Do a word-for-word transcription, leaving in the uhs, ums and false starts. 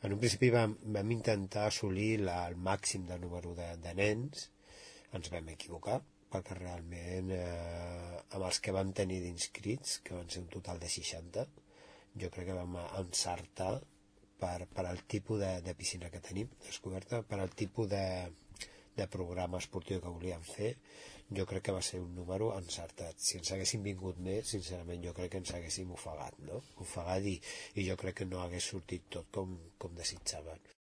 En un principi vam, vam intentar assolir la, el màxim de número de, de nens. Ens vam equivocar, perquè realment eh, amb els que vam tenir d'inscrits, que van ser un total de seixanta, jo crec que vam encertar per, per al tipus de, de piscina que tenim descoberta, per al tipus de, de programa esportiu que volíem fer. Jo crec que va ser un número encertat. Si ens haguéssim vingut més, sincerament jo crec que ens haguéssim ofegat, no? Ofegat i, i jo crec que no hagués sortit tot com, com desitjaven.